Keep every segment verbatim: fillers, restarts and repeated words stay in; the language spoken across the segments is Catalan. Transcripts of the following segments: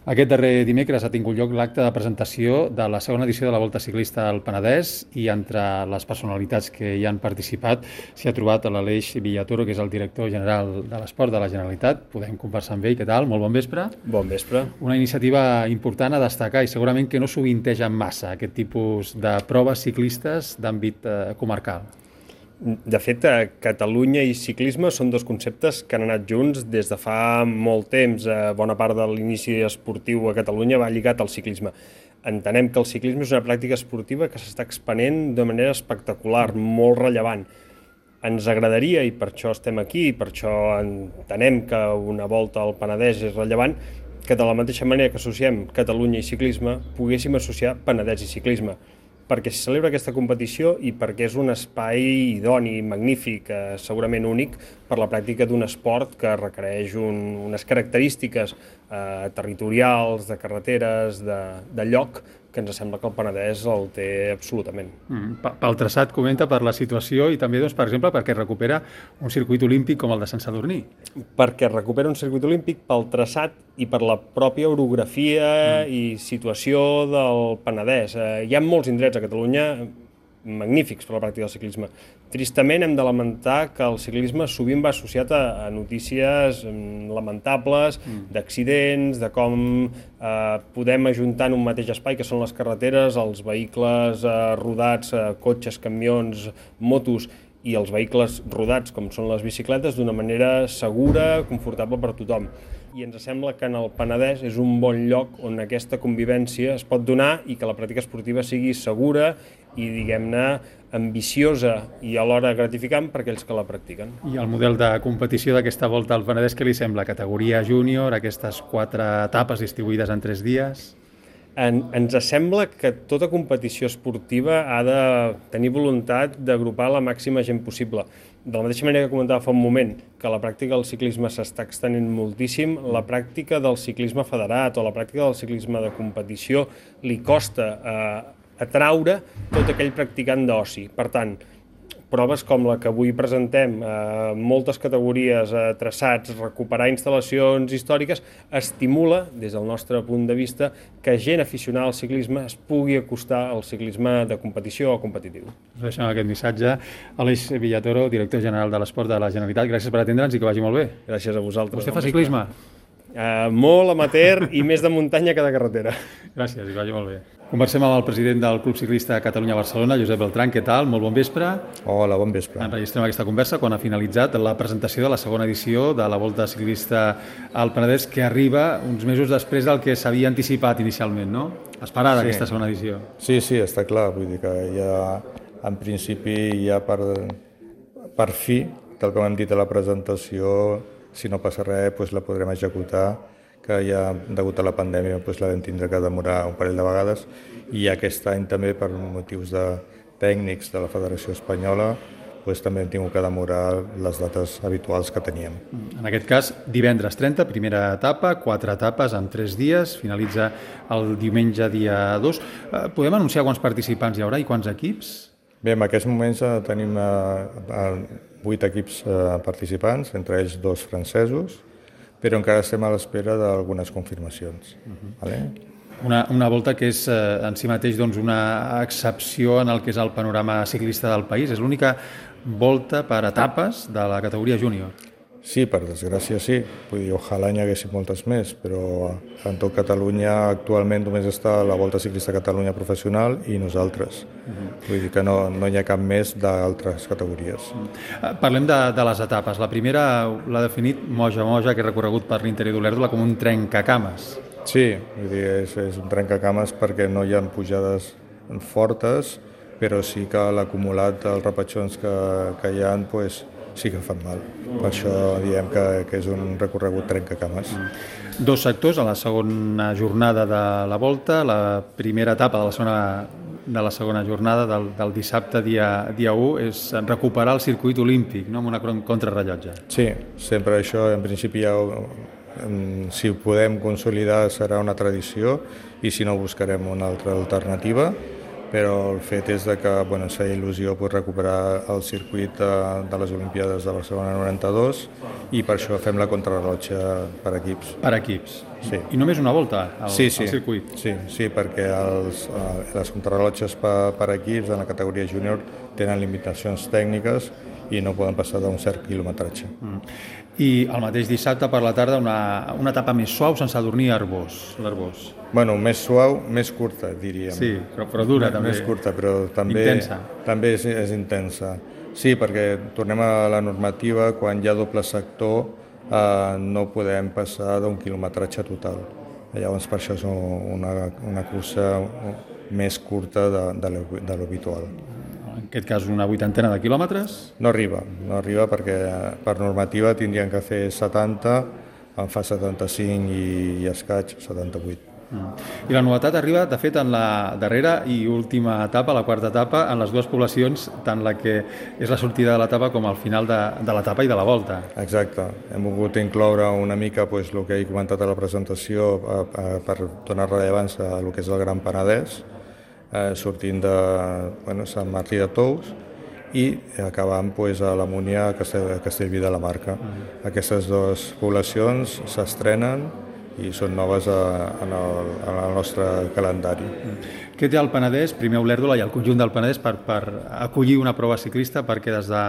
Aquest darrer dimecres ha tingut lloc l'acte de presentació de la segona edició de la Volta Ciclista al Penedès i entre les personalitats que hi han participat s'hi ha trobat l'Aleix Villatoro, que és el director general de l'Esport de la Generalitat. Podem conversar amb ell. Què tal? Molt bon vespre. Bon vespre. Una iniciativa important a destacar i segurament que no sovinteja massa aquest tipus de proves ciclistes d'àmbit eh, comarcal. De fet, Catalunya i ciclisme són dos conceptes que han anat junts des de fa molt temps. Bona part de l'inici esportiu a Catalunya va lligat al ciclisme. Entenem que el ciclisme és una pràctica esportiva que s'està expanent de manera espectacular, molt rellevant. Ens agradaria, i per això estem aquí, i per això entenem que una volta al Penedès és rellevant, que de la mateixa manera que associem Catalunya i ciclisme, poguéssim associar Penedès i ciclisme. Perquè s'hi celebra aquesta competició i perquè és un espai idoni, magnífic, eh, segurament únic, per la pràctica d'un esport que requereix un, unes característiques eh, territorials, de carreteres, de, de lloc, que ens sembla que el Penedès el té absolutament. Mm, pel traçat, comenta, per la situació i també, doncs, per exemple, perquè recupera un circuit olímpic com el de Sant Sadurní. Perquè recupera un circuit olímpic pel traçat i per la pròpia orografia mm. i situació del Penedès. Eh, hi ha molts indrets a Catalunya magnífics per la pràctica del ciclisme. Tristament hem de lamentar que el ciclisme sovint va associat a, a notícies lamentables, mm. d'accidents, de com eh, podem ajuntar en un mateix espai, que són les carreteres, els vehicles eh, rodats, eh, cotxes, camions, motos, i els vehicles rodats, com són les bicicletes, d'una manera segura, confortable per tothom. I ens sembla que en el Penedès és un bon lloc on aquesta convivència es pot donar i que la pràctica esportiva sigui segura i, diguem-ne, ambiciosa i alhora gratificant per aquells que la practiquen. I el model de competició d'aquesta volta al Penedès, què li sembla? Categoria júnior, aquestes quatre etapes distribuïdes en tres dies? En, ens sembla que tota competició esportiva ha de tenir voluntat d'agrupar la màxima gent possible. De la mateixa manera que comentava fa un moment que la pràctica del ciclisme s'està extenent moltíssim, la pràctica del ciclisme federat o la pràctica del ciclisme de competició li costa eh, atraure tot aquell practicant d'oci. Per tant, proves com la que avui presentem, eh, moltes categories, eh, traçats, recuperar instal·lacions històriques, estimula, des del nostre punt de vista, que gent aficionada al ciclisme es pugui acostar al ciclisme de competició o competitiu. Us deixem aquest missatge. Aleix Villatoro, director general de l'Esport de la Generalitat, gràcies per atendre'ns i que vagi molt bé. Gràcies a vosaltres. Vostè fa ciclisme? Uh, molt amateur i més de muntanya que de carretera. Gràcies, i vagi molt bé. Conversem amb el president del Club Ciclista Catalunya-Barcelona, Josep Beltrán. Què tal? Molt bon vespre. Hola, bon vespre. Enregistrem aquesta conversa quan ha finalitzat la presentació de la segona edició de la Volta Ciclista al Penedès, que arriba uns mesos després del que s'havia anticipat inicialment, no? Esperada sí. Aquesta segona edició. Sí, sí, està clar. Vull dir que ja, en principi, ja per, per fi, tal com hem dit a la presentació, si no passa res, doncs la podrem executar, que ja, degut a la pandèmia, doncs la vam tindre que demorar un parell de vegades, i aquest any també, per motius de tècnics de la Federació Espanyola, doncs també hem tingut que demorar les dates habituals que teníem. En aquest cas, divendres trenta, primera etapa, quatre etapes en tres dies, finalitza el diumenge dia dos. Podem anunciar quants participants hi haurà i quants equips? Bé, en aquests moments tenim vuit equips participants, entre ells dos francesos, però encara estem a l'espera d'algunes confirmacions. Uh-huh. Vale? Una, una volta que és eh, en si mateix doncs, una excepció en el que és el panorama ciclista del país. És l'única volta per etapes de la categoria júnior. Sí, per desgràcia sí. Vull dir, ojalà n'hi haguessin moltes més, però en tot Catalunya actualment només està la Volta Ciclista Catalunya professional i nosaltres. Uh-huh. Vull dir que no, no hi ha cap més d'altres categories. Uh-huh. Parlem de, de les etapes. La primera l'ha definit Moja Moja, que és recorregut per l'interior d'Olèrdola, com un trencacames. Sí, vull dir, és, és un trencacames perquè no hi ha pujades fortes, però sí que l'acumulat dels repatxons que, que hi ha, pues, sí que fan mal. Per això diem que, que és un recorregut trencacames. Dos sectors a la segona jornada de la volta, la primera etapa de la segona, de la segona jornada del, del dissabte dia, dia u és recuperar el circuit olímpic, no? Amb una contrarrellotge. Sí, sempre això en principi ja, si ho podem consolidar serà una tradició i si no buscarem una altra alternativa, però el fet és de que bueno, ens feia il·lusió pues, recuperar el circuit de, de les Olimpiades de Barcelona noranta-dos i per això fem la contrarrellotge per equips. Per equips? Sí. I només una volta al, sí, sí. al circuit? Sí, sí, perquè els, eh, les contrarrellotges per, per equips en la categoria júnior tenen limitacions tècniques i no poden passar d'un cert quilometratge. Mm. I el mateix dissabte per la tarda una, una etapa més suau sense adormir l'Arbós. Bueno, més suau, més curta, diríem. Sí, però, però dura també. Més curta, però també, intensa. també és, és intensa. Sí, perquè tornem a la normativa, quan hi ha doble sector eh, no podem passar d'un quilometratge total. Llavors per això és una, una cursa més curta de, de l'habitual. En aquest cas una vuitantena de quilòmetres? No arriba, no arriba perquè per normativa tindrien que fer setanta, en fa setanta-cinc i, i escaig, setanta-vuit. Mm. I la novetat arriba, de fet, en la darrera i última etapa, la quarta etapa, en les dues poblacions, tant la que és la sortida de l'etapa com el final de, de l'etapa i de la volta. Exacte. Hem volgut incloure una mica pues, el que he comentat a la presentació a, a, per donar rellevància a el que és el Gran Penedès, Eh, sortint de bueno, Sant Martí de Tous i acabant pues, a la Múnia, a Castell, a Castellví de la Marca. Mm. Aquestes dues poblacions s'estrenen i són noves a, en, el, en el nostre calendari. Mm. Què té el Penedès, primer Olèrdola i el conjunt del Penedès, per, per acollir una prova ciclista perquè des de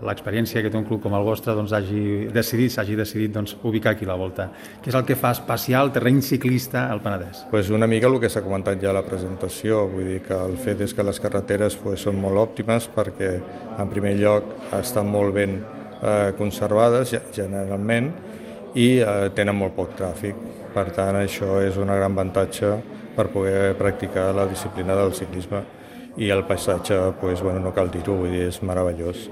l'experiència que té un club com el vostre doncs, hagi decidit, s'hagi decidit doncs, ubicar aquí la volta? Què és el que fa especial terreny ciclista al Penedès? Pues una mica el que s'ha comentat ja a la presentació, vull dir que el fet és que les carreteres pues, són molt òptimes perquè en primer lloc estan molt ben eh, conservades generalment i eh, tenen molt poc tràfic. Per tant, això és un gran avantatge per poder practicar la disciplina del ciclisme i el paisatge, pues, bueno, no cal dir-ho, vull dir, és meravellós.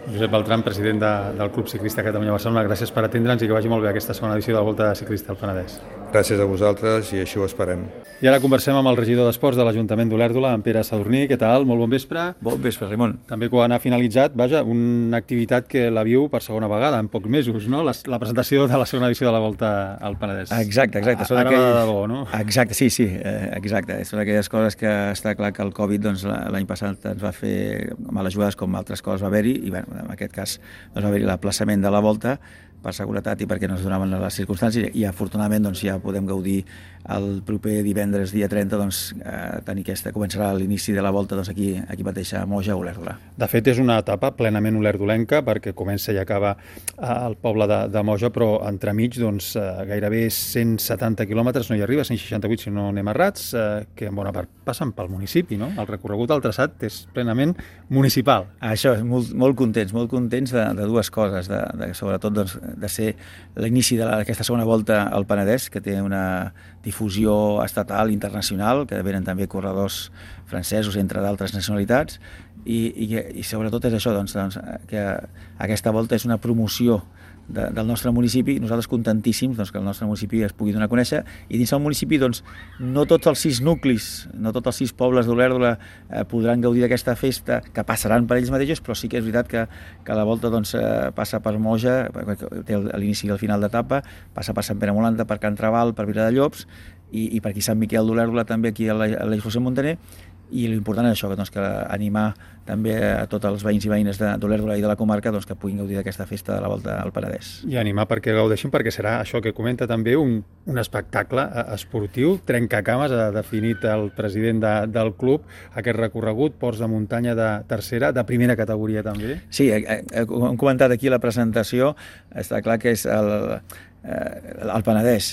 Josep Beltran, president de, del Club Ciclista Catalunya-Barcelona, gràcies per atendre'ns i que vagi molt bé aquesta segona edició de la Volta Ciclista al Penedès. Gràcies a vosaltres i així ho esperem. I ara conversem amb el regidor d'Esports de l'Ajuntament d'Olèrdola, en Pere Sadurní. Què tal? Molt bon vespre. Bon vespre, Ramon. També quan ha finalitzat, vaja, una activitat que la viu per segona vegada, en pocs mesos, no? La, la presentació de la segona edició de la Volta al Penedès. Exacte, exacte. Ara aquell... de debò, no? Exacte, sí, sí, exacte. Són aquelles coses que està clar que el Covid doncs, l'any passat ens va fer males jugades com altres coses va haver-hi i bueno, en aquest cas doncs, va haver-hi l'aplaçament de la Volta per seguretat i perquè no es donaven les circumstàncies i afortunadament doncs, ja podem gaudir el proper divendres, dia trenta, doncs, eh, tenir aquesta, començarà l'inici de la volta doncs, aquí, aquí mateix a Moja, a Olèrdola. De fet, és una etapa plenament olerdolenca perquè comença i acaba al poble de, de Moja, però entremig doncs, gairebé cent setanta quilòmetres, no hi arriba, cent seixanta-vuit si no anem errats, eh, que en bona part passen pel municipi, no? El recorregut al traçat és plenament municipal. Això, molt, molt contents, molt contents de, de dues coses, de, de, sobretot doncs, de ser l'inici d'aquesta segona volta al Penedès, que té una difusió estatal, internacional, que venen també corredors francesos, entre d'altres nacionalitats, i, i, i sobretot és això, doncs, doncs, que aquesta volta és una promoció de, del nostre municipi, nosaltres contentíssims doncs, que el nostre municipi es pugui donar a conèixer, i dins del municipi doncs, no tots els sis nuclis, no tots els sis pobles d'Olèrdola eh, podran gaudir d'aquesta festa, que passaran per ells mateixos, però sí que és veritat que, que la volta doncs, eh, passa per Moja, té l'inici i el final d'etapa, passa per Sant Pere Molanda, per Can Traval, per Viladallops, i, i per aquí Sant Miquel d'Olèrdola, també aquí a l'Eix José Montaner, i l'important és això, doncs, que animar també a tots els veïns i veïnes d'Olèrdola i de la comarca doncs, que puguin gaudir d'aquesta festa de la Volta al Penedès. I animar perquè gaudeixin, perquè serà això que comenta també un, un espectacle esportiu, trencacames, ha definit el president de, del club, aquest recorregut, ports de muntanya de tercera, de primera categoria també. Sí, hem comentat aquí a la presentació, està clar que és el... el Penedès,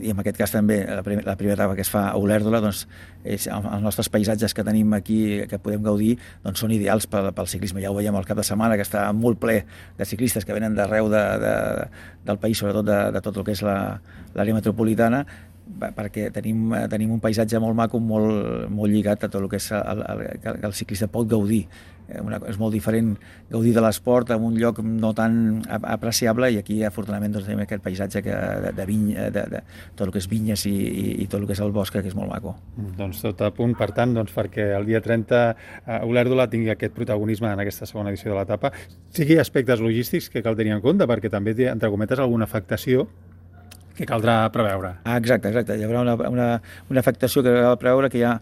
i en aquest cas també la primera, la primera etapa que es fa a Olèrdola, doncs, és, els nostres paisatges que tenim aquí, que podem gaudir, doncs són ideals pel, pel ciclisme. Ja ho veiem al cap de setmana, que està molt ple de ciclistes que venen d'arreu de, de, del país, sobretot de, de tot el que és l'àrea la, metropolitana, perquè tenim, tenim un paisatge molt maco, molt, molt lligat a tot el que és el, el, que el ciclista pot gaudir. Una, és molt diferent gaudir de l'esport en un lloc no tan apreciable, i aquí afortunadament doncs, tenim aquest paisatge que, de, de, vinya, de, de tot el que és vinyes i, i, i tot el que és el bosc, que és molt maco. Doncs tot a punt, per tant, doncs, perquè el dia trenta uh, Olèrdola tingui aquest protagonisme en aquesta segona edició de l'etapa, sigui aspectes logístics que cal tenir en compte, perquè també té, entre cometes, alguna afectació que caldrà preveure. Ah, exacte, exacte. Hi haurà una, una, una afectació que cal preveure, que hi ha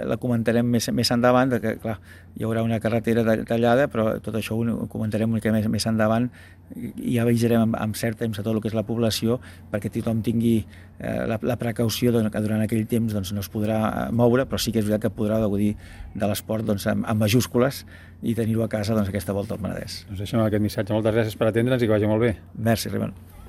la comentarem més, més endavant, que clar, hi haurà una carretera tallada, però tot això ho comentarem una mica més, més endavant i ja avisarem amb, amb cert temps a tot el que és la població perquè tothom tingui eh, la, la precaució doncs, que durant aquell temps doncs, no es podrà moure, però sí que és veritat que podrà gaudir de l'esport doncs, amb, amb majúscules i tenir-ho a casa doncs, aquesta volta al Penedès. Doncs deixem aquest missatge. Moltes gràcies per atendre'ns i que vagi molt bé. Merci, Raimon.